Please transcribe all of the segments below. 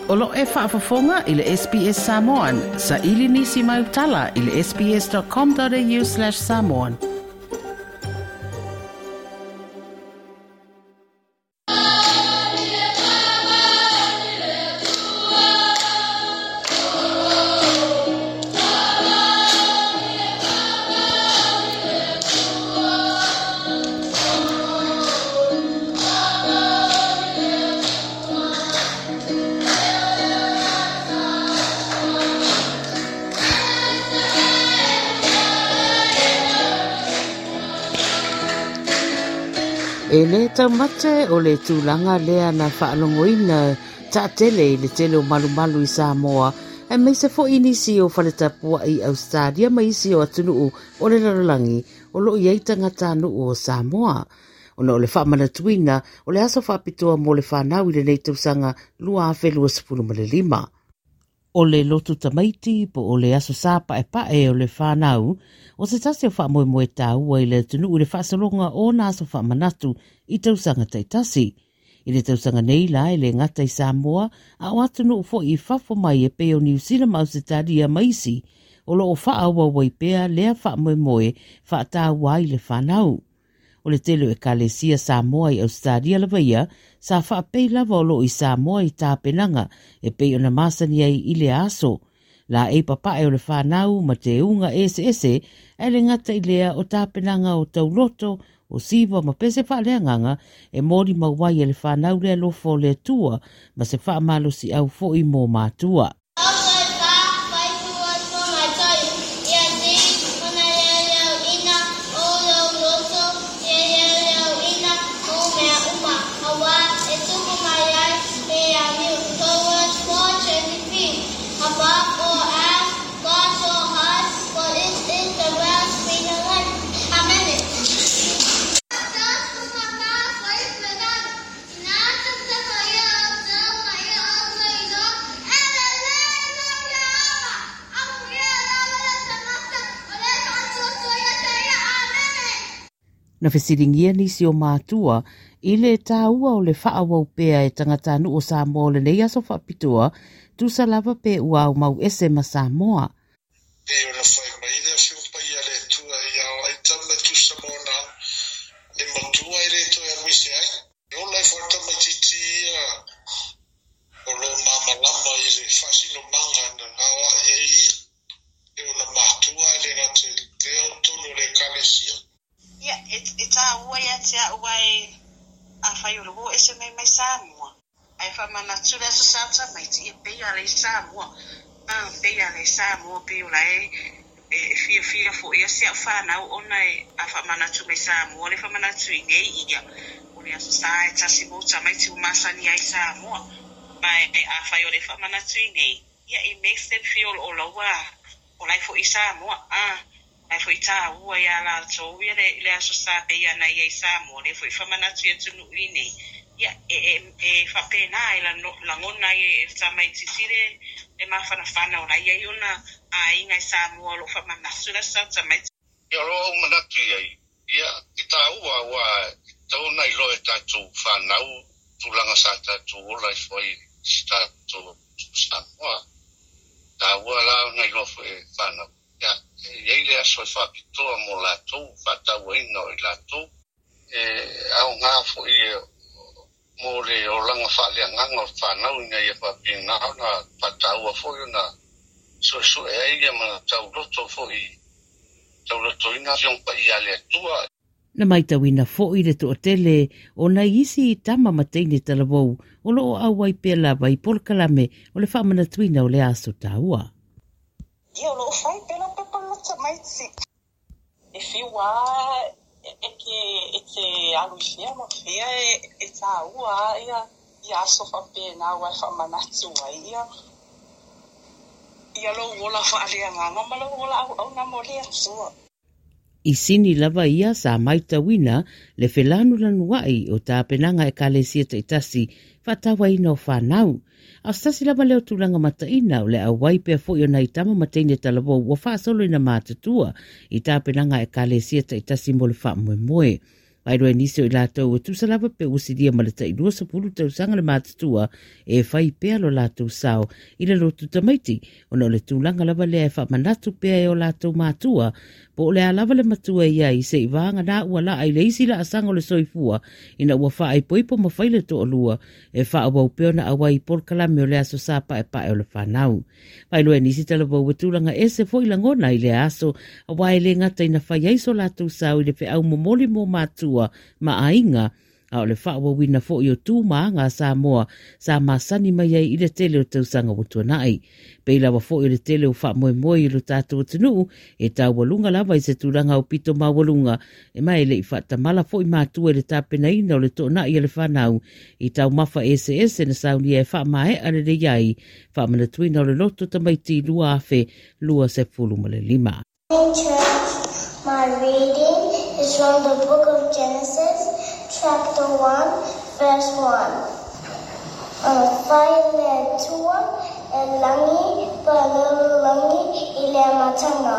O lo o e faafofoga i le SBS Samoan. Saili nisi mau tala i le sbs.com.au/samoan. E le taumate o le tulaga lea na faalogoina taatele i le tele o malumalu i Samoa, aemaise foi nisi o faletapuai i Ausetalia ma isi o atunuu o le lalolagi o lo o i ai tagatanuu o Samoa. Ona o le faamanatuina o le aso faapitoa mo le fanau i lenei tausaga 2025. O le lotu tamaiti po o le Aso Sa Paepae o le Fanau, o se tasi o faamoemoe taua i le atunuu i le faasologa o ona aso faamanatu i tausaga taitasi. I le tausaga nei la e le gata i Samoa a o atunuu foi i fafo mai e pei o Niu Sila ma Ausetalia ma isi, o lo o faaauau ai pea lea faamoemoe faataua ai le fanau. O le tele o Ekalesia Samoa i Ausetalia lava ia, sa faapei lava o lo o i Samoa i tapenaga e pei ona masani ai i lea aso. Laei papae o le fanau ma teuga eseese, ae le gata i lea o tapenaga o tauloto, o siva ma pese faaleagaga e molimau ai e le fanau le alofa o le Atua ma se faamalosiau foi mo matua. Na fesiligia nisi o matua i le taua o le faaauau pea e tagatanuu o Samoa o lenei aso faapitoa, tusa lava pe ua aumau ese ma Samoa. Pei ona fai mai le Afioga Paia a le Atua ia o ai tama e tusa ma ona ao, le matua e le toe alu ese ai. E ola ifo le tamaitiiti ia o lo o malamalama i le faasinomaga na aoai ai ia e ona matua ae le gata i lea o totonu o le Ekalesia. Ia, e tāua ia te au ae afai o le o ese mai mai Samoa. Ae faamanatu le aso sa tamaiti, ia pei a le Samoa. Ah, pei a le Samoa, pei o la e e fiafia foi ia si au whanau ona e a faamanatu mai Samoa le faamanatu i nei ia o le aso sa e tasi mo tamaiti o masani ai Samoa. Ma e afai o le faamanatu i nei, ia it makes them feel o laua o la e foi Samoa. Ah, Ae foi tāua iā lātou ia le, le Aso Sa pei ana ia i Samoa, lea foi faamanatu i atunuu i nei, ia, e, e, e faapena e lagona ai e le tamaitiiti le, le mafanafana o la e i ai ona aiga i Samoa o lo o faamanatu le Aso Sa tamaiti. Ia, o lou manatu i ai, ia, e tāua aua e tatau ona iloa e tatou fanau tulaga sa tatou ola ifo ai i si tatou atunuu Samoa. E tāua la ona iloa foi e fanau. Ia, e i ai le aso e faapitoa mo latou, faatauaina o i latou. E aoga foi mo le olaga faaleagaga o le fanau ina ia faapena ona faataua foi ona suesue ai ia ma tauloto foi, taulotoina Afioga Paia a le Atua. Na maitauina foi le toatele o nai isi tama ma teine talavou o lo o auai pea lava i polokalame o le faamanatuina o le aso taua. Ia o lo o fai pea lau pepa loto tamaiti. E whiu a e ke e te alu i fea ma fea e tāua a ia ia aso faapena aua e faamanatu ai ia ia lou ola faaleagaga ma lou ola auauna mo le Atua. I sini lava ia sa maitauina le felanulanuai o tapenaga Ekalesia taitasi faatauaina o fanau. A o se tasi lava lea o tulaga mataina o le auai pea foi o nai tama ma teine talavou ua faasolo ina matutua i tapenaga Ekalesia taitasi mo le faamoemoe. Faailoa e nisi o i latou e tusa lava pe ua silia ma le tai 20 tausaga le matutua e fai pea lo latou sao i le lotu tamaiti, ona o le tulaga lava lea e faamanatu pea e o latou matua, po o le a lava le matua i ai se'i vagana ua laa i le isi laasaga o le soifua ina ua faaipoipo ma fai le toalua e faaauau pea ona auai i polokalame o le Aso Sa Paepae o le Fanau. Faailoa e nisi talavou e tulaga ese foi lagona i lea aso, aua e le gata ina fai ai so latou sao i le feau momoli mo matua ma aiga, a o le faaauauina foi o tu ma aga a Samoa sa masani mai ai i le tele o tausaga ua tuanai. Pei lava foi o le tele o faamoemoe i lo tatou atunuu e taualuga lava i se tulaga aupito maualuga, e ma e le i faatamala foi matua i le tapenaina o le toonai a le fanau i taumafa eseese na saunia e faamaea lelei ai faamanatuina o le loto tamaiti 2025. In church, my reading is from the book of Genesis, chapter 1, verse 1. Fai le Atua e lagi pa lalolagi i le amataga.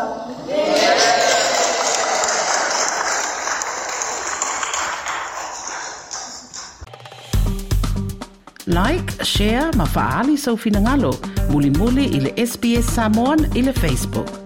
Like, share ma faaali sou finagalo mulimuli i le SBS Samoan i le Facebook.